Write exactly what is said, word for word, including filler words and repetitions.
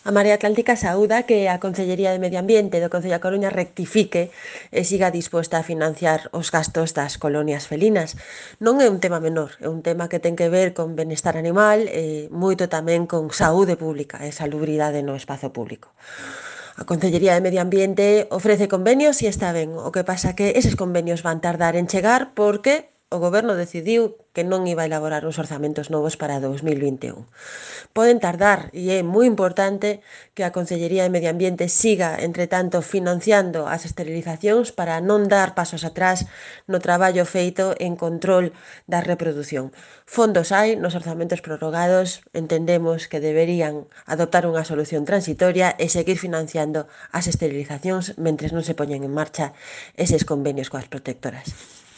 A Marea Atlántica saúda que a Concellería de Medio Ambiente do Concello da Coruña rectifique e siga disposta a financiar os gastos das colonias felinas. Non é un tema menor, é un tema que ten que ver con benestar animal e moito tamén con saúde pública e salubridade no espazo público. A Concellería de Medio Ambiente ofrece convenios e está ben. O que pasa que eses convenios van tardar en chegar porque o Goberno decidiu que non iba a elaborar uns orzamentos novos para dous mil vinte e un. Poden tardar e é moi importante que a Concellería de Medio Ambiente siga, entre tanto, financiando as esterilizacións para non dar pasos atrás no traballo feito en control da reprodución. Fondos hai nos orzamentos prorrogados, entendemos que deberían adoptar unha solución transitoria e seguir financiando as esterilizacións mentres non se poñen en marcha eses convenios coas protectoras.